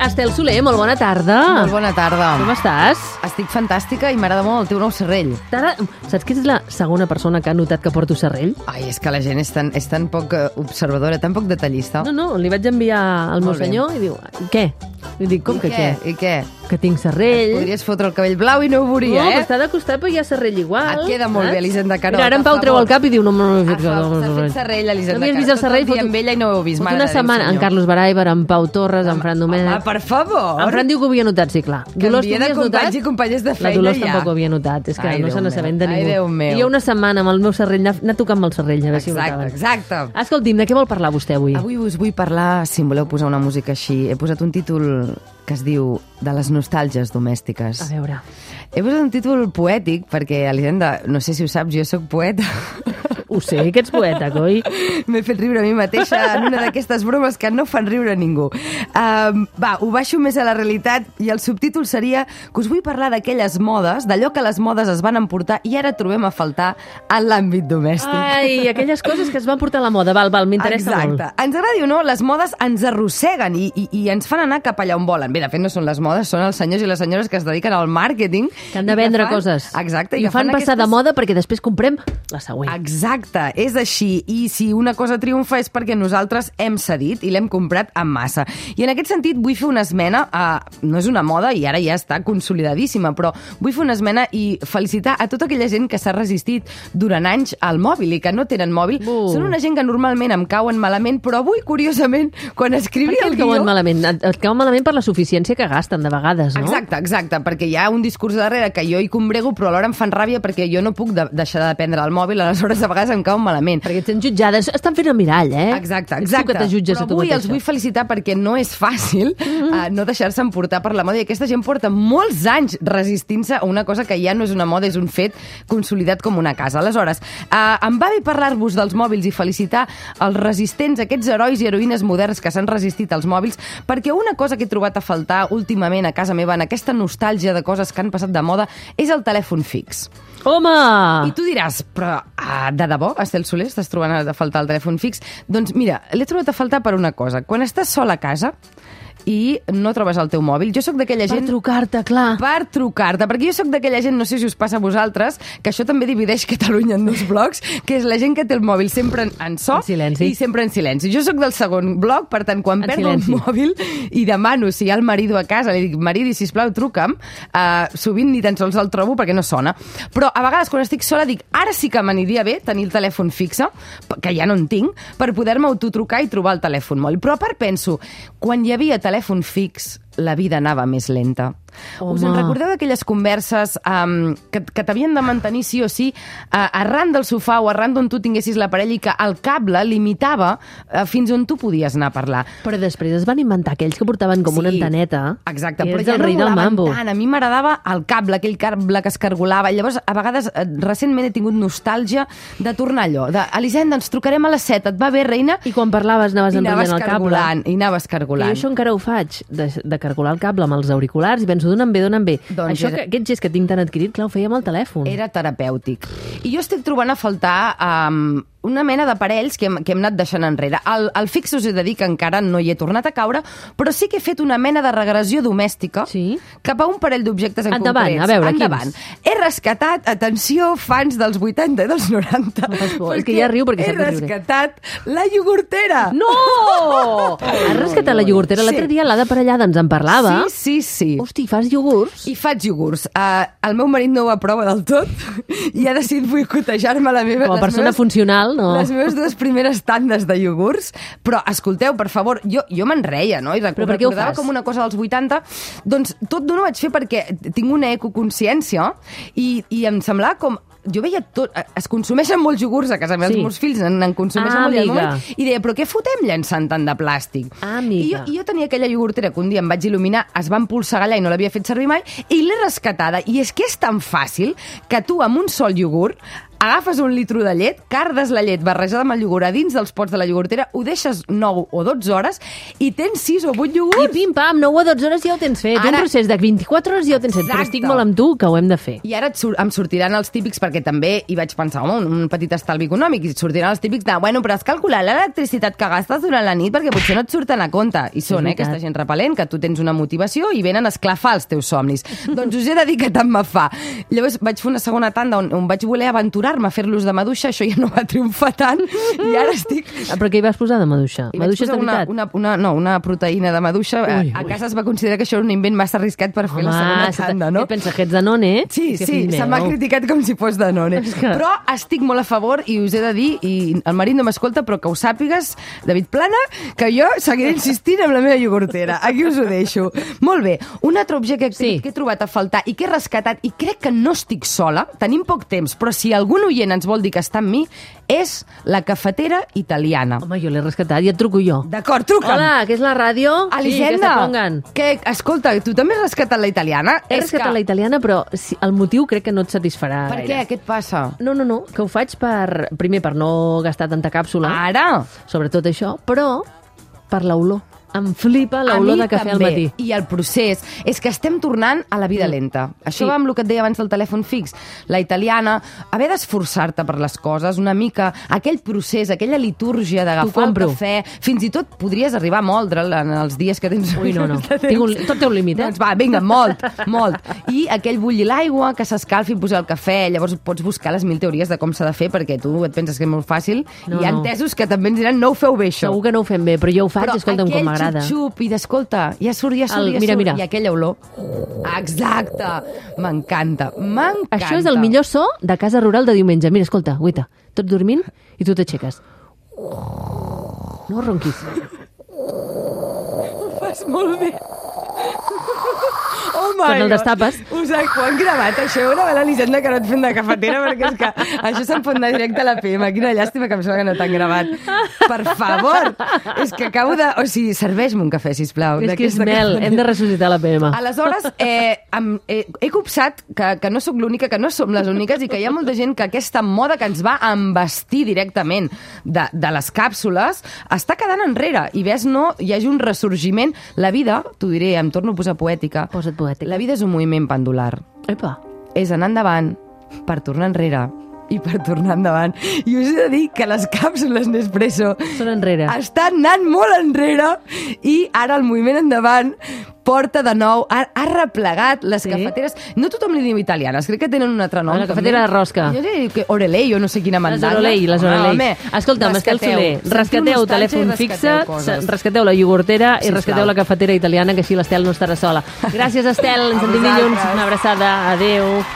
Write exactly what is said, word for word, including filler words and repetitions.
Estel Soler, molt bona tarda. Molt bona tarda. Com estàs? Estic fantàstica i m'agrada molt el teu nou serrell. Tara, saps que ets la segona persona que ha notat que porto serrell? Ai, és que la gent és tan, és tan poc eh, observadora, tan poc detallista. No, no, li vaig enviar al meu Molt bé. senyor i diu, i què? I dic, com I que què? què? I què? Que tinc serrell. Podries fotre el cabell blau i no ho veuria, no, eh? però està de costat, però hi ha serrell igual. Et queda molt bé, Elisenda Carol. Mira, ara en Pau treu el cap i diu, no, no, no, no, S'ha no, no, fet serrell, Elisenda no havies vist el serrell? Tot el dia amb ella i no ho heu vist. Fot mare una de Déu, setmana, en senyor. Carlos Baraiber, en Pau Torres, en Fran Domènech. Home, per favor. En Fran diu que ho havia notat, sí, clar. Dolors, Canvia tu de havies companys notat? i companyes de La feina Dolors ja. tampoc ho havia notat, és que Ai, no Déu se n'assabenta meu. ningú. Ai, Déu meu. I jo una setmana amb el meu serrell, anar anar tocant amb el serrell, a veure si ho Exacte, notaven. exacte. Escolti'm, de què vol parlar vostè avui? Avui us vull parlar, si em voleu posar una música així, he posat un títol que es diu De les nostàlgies domèstiques. A veure. He posat un títol poètic perquè, Elisenda, no sé si ho saps, jo sóc poeta. Ho sé, que ets poeta, coi. M'he fet riure a mi mateixa en una d'aquestes bromes que no fan riure a ningú. Um, va, ho baixo més a la realitat i el subtítol seria que us vull parlar d'aquelles modes, d'allò que les modes es van emportar i ara trobem a faltar en l'àmbit domèstic. Ai, aquelles coses que es van portar a la moda. Val, val, m'interessa molt. Exacte. Ens agradi o no, les modes ens arrosseguen i, i, i ens fan anar cap allà on volen. Bé, de fet, no són les modes, són els senyors i les senyores que es dediquen al màrqueting. Que han de i vendre fan, coses. Exacte. I ho fan passar de moda perquè després comprem la següent. Exacte, és així. I si una cosa triomfa és perquè nosaltres hem cedit i l'hem comprat en massa. I en aquest sentit vull fer una esmena, a, no és una moda i ara ja està consolidadíssima, però vull fer una esmena i felicitar a tota aquella gent que s'ha resistit durant anys al mòbil i que no tenen mòbil. Uh. Són una gent que normalment em cauen malament, però avui, curiosament, quan Per escrivia què el et cauen guió... malament? Et, et cauen malament per la suficiència que gasten de vegades, no? Exacte, exacte, perquè hi ha un discurs darrere que jo hi combrego, però alhora em fan ràbia perquè jo no puc de deixar de dependre del mòbil, aleshores a vegades em cauen malament. Perquè et sents jutjades. Estan fent el mirall, eh? Exacte, Ets exacte. tu que te jutges però a tu avui mateixa. els vull felicitar perquè no és fàcil mm-hmm. uh, no deixar-se emportar per la moda i aquesta gent porta molts anys resistint-se a una cosa que ja no és una moda, és un fet consolidat com una casa. Aleshores, uh, em va bé parlar-vos dels mòbils i felicitar els resistents, aquests herois i heroïnes moderns que s'han resistit als mòbils, perquè una cosa que he trobat a faltar últimament a casa meva en aquesta nostàlgia de coses que han passat de moda és el telèfon fix. Home! I tu diràs, però ah, de debò, Estel Soler, estàs trobant a faltar el telèfon fix? Doncs mira, l'he trobat a faltar per una cosa. Quan estàs sol a casa i no trobes el teu mòbil, jo sóc d'aquella Per gent... trucar-te, clar. Per trucar-te, perquè jo sóc d'aquella gent, no sé si us passa a vosaltres, que això també divideix Catalunya en dos blocs, que és la gent que té el mòbil sempre en, en so En silenci. i sempre en silenci. Jo sóc del segon bloc, per tant, quan En perdo silenci. el mòbil i demano si hi ha el marido a casa, li dic, maridi, sisplau, truca'm, uh, sovint ni tan sols el trobo perquè no sona. Però a vegades quan estic sola dic, ara sí que m'aniria bé tenir el telèfon fixe, que ja no en tinc, per poder-me autotrucar i trobar el telèfon mòbil. Però a part penso, quan hi havia telèfon fix, la vida anava més lenta. Home. Us en recordeu d'aquelles converses um, que, que t'havien de mantenir sí o sí uh, arran del sofà o arran d'on tu tinguessis l'aparell i que el cable limitava uh, fins on tu podies anar a parlar? Però després es van inventar aquells que portaven com Sí, una anteneta. Exacte, que però és ja el no rei del volaven mambo. tant. A mi m'agradava el cable, aquell cable que es cargolava. Llavors, a vegades, eh, recentment he tingut nostàlgia de tornar allò. De, Elisenda, ens trucarem a les set, et va bé, reina? I quan parlaves anaves I anaves enrotllant el cable. cargolant, i anaves I cargolant. jo això encara ho faig, de, de cargolar el cable amb els auriculars i penso, d'on em ve, d'on em ve. Doncs Això era- que, aquest gest que tinc tan adquirit, clar, ho feia amb el telèfon. Era terapèutic. I jo estic trobant a faltar um, una mena d'aparells que, hem, que hem anat deixant enrere. El, el fix us he de dir que encara no hi he tornat a caure, però sí que he fet una mena de regressió domèstica Sí? cap a un parell d'objectes en Endavant, concrets. a veure, Endavant. quins? He rescatat, atenció, fans dels vuitanta i dels noranta. No fas por, és que ja riu perquè he sap de riure. rescatat la iogurtera. No! Has rescatat la iogurtera. L'altre Sí. dia l'Ada Parellada ens en parlava. Sí, sí, sí. Hosti, fas iogurts? I faig iogurts. Uh, el meu marit no ho aprova del tot i ha decidit boicotejar-me la meva... Com a les persona meves- funcional, no. Les meves dues primeres tandes de iogurts, però escolteu, per favor, jo, jo me'n reia, no? I Però per què ho recordava fas? com una cosa dels vuitanta. Doncs tot d'una ho vaig fer perquè tinc una ecoconsciència i, i em semblava com... Jo veia tot... Es consumeixen molts iogurts a casa meva, Sí. els meus fills en, en consumeixen Ah, molt. I al amiga. moment- I deia, però què fotem llançant tant de plàstic? Ah, I amiga. jo, I jo tenia aquella iogurtera que un dia em vaig il·luminar, es va empolsegar allà i no l'havia fet servir mai, i l'he rescatada. I és que és tan fàcil que tu amb un sol iogurt agafes un litro de llet, cardes la llet barrejada amb el iogurt a dins dels pots de la iogurtera, ho deixes nou o dotze hores i tens sis o vuit iogurts. I pim-pam, nou o dotze hores ja ho tens fet. Ara... Un procés de vint-i-quatre hores ja ho tens fet, però estic molt amb tu que ho hem de fer. I ara et sur em sortiran els típics, perquè també hi vaig pensar, home, un, un petit estalvi econòmic, i et sortiran els típics de, bueno, però has calculat l'electricitat que gastes durant la nit perquè potser no et surten a compte. I són, eh, aquesta gent repel·lent, que tu tens una motivació i venen a esclafar els teus somnis. Doncs us he de dir que tant me fa. Llavors vaig fer una segona tanda on, on vaig voler aventurar-me a fer-los de maduixa, això ja no va triomfar tant, i ara estic... Però què hi vas posar de maduixa? I maduixa de una, una, una, no, una proteïna de maduixa. Ui, a, a casa es va considerar que això era un invent massa arriscat per fer Home, la segona tanda, no? Què pensa, que ets Danone? Sí, sí, se m'ha criticat com si fos Danone. Que... Però estic molt a favor i us he de dir, i el marit no m'escolta, però que ho sàpigues, David Plana, que jo seguiré insistint amb la meva iogurtera. Aquí us ho deixo. Molt bé, un altre objecte que, sí. que he trobat a faltar i que he rescatat, i crec que no estic sola, tenim poc temps, però si algun oient ens vol dir que està amb mi, és la cafetera italiana. Home, jo l'he rescatat i et truco jo. D'acord, truca'm. Hola, que és la ràdio? Elisenda, sí, que, escolta, tu també has rescatat la italiana? He és rescatat que... la italiana, però el motiu crec que no et satisfarà Per gaire. què? Què et passa? No, no, no, que ho faig per... Primer, per no gastar tanta càpsula. Ara? Sobretot això, però per l'olor. Em flipa l'olor de cafè també. al matí. I el procés és que estem tornant a la vida lenta. Això sí. va amb el que et deia abans del telèfon fix. La italiana, haver d'esforçar-te per les coses, una mica, aquell procés, aquella litúrgia d'agafar el cafè, fins i tot podries arribar a moldre'l en els dies que tens... Ui, no, no. Tinc un, tot té un límit, eh? Doncs va, vinga, molt, molt. I aquell bullir l'aigua, que s'escalfi i posar el cafè, llavors pots buscar les mil teories de com s'ha de fer, perquè tu et penses que és molt fàcil, no, i hi ha no. entesos que també ens diran no ho feu bé, això. Segur que no ho fem bé, però jo ho faig, però escolta'm, com m'agrada. xup i d'escolta, ja surt, ja surt, el, ja mira, surt, mira. i aquella olor. Exacte, m'encanta, m'encanta. Això és el millor so de casa rural de diumenge. Mira, escolta, guaita, tots dormint i tu t'aixeques. No ronquis. Ho fas molt bé. Oh Quan el destapes. Us ho han gravat, això, una vegada l'Elisenda que no et fem de cafetera, perquè és que això se'n pot anar directe a la P M. Quina llàstima que em sembla que no t'han gravat. Per favor! És que acabo de... O sigui, serveix-me un cafè, sisplau. És que és mel, hem de ressuscitar la P M. Aleshores, eh, em, eh, he copsat que, que no sóc l'única, que no som les úniques, i que hi ha molta gent que aquesta moda que ens va embestir directament de, de les càpsules està quedant enrere. I ves, no, hi hagi un ressorgiment. La vida, t'ho diré, em torno a posar poètica. Posa't poètica. La vida és un moviment pendular. Epa. És anar endavant per tornar enrere i per tornar endavant. I us he de dir que les càpsules Nespresso són enrere. Estan anant molt enrere i ara el moviment endavant porta de nou, ha, ha replegat les sí. cafeteres. No tothom li diu italianes, crec que tenen un altre nom. La cafetera de rosca. Jo diria que Orelei, o no sé quina mandala. Les Orelei, les Orelei. Ah, escolta'm, Estel Soler, rescateu telèfon fixe, rescateu la iogurtera i rescateu la cafetera italiana, que així l'Estel no estarà sola. Gràcies, Estel, ens sentim dilluns. Una abraçada. Adéu.